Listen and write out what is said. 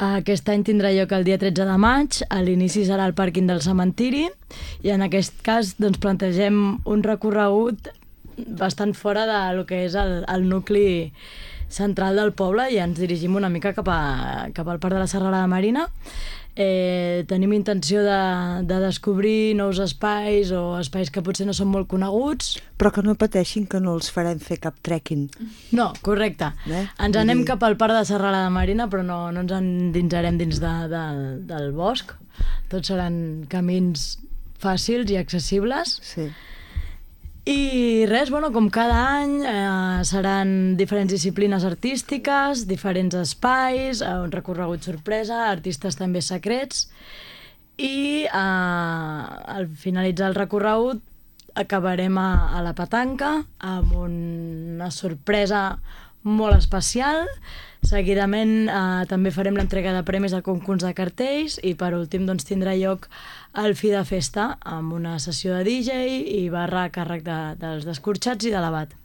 Aquest any tindrà lloc el dia 13 de maig, a l'inici serà al pàrquing del cementiri i en aquest cas doncs, plantegem un recorregut bastant fora del que és el nucli central del poble i ens dirigim una mica cap al Parc de la Serralada Marina. Tenim intenció de descobrir nous espais o espais que potser no són molt coneguts. Però que no pateixin que no els farem fer cap trekking. No, correcte. Ens anem cap al Parc de la Serralada Marina, però no ens endinsarem dins del bosc. Tots seran camins fàcils i accessibles. Sí. I res, com cada any seran diferents disciplines artístiques, diferents espais, un recorregut sorpresa, artistes també secrets i al finalitzar el recorregut acabarem a la petanca amb una sorpresa molt especial. Seguidament també farem l'entrega de premis al concurs de cartells i per últim doncs, tindrà lloc el fi de festa amb una sessió de DJ i barra a càrrec dels descorxats i de l'abat.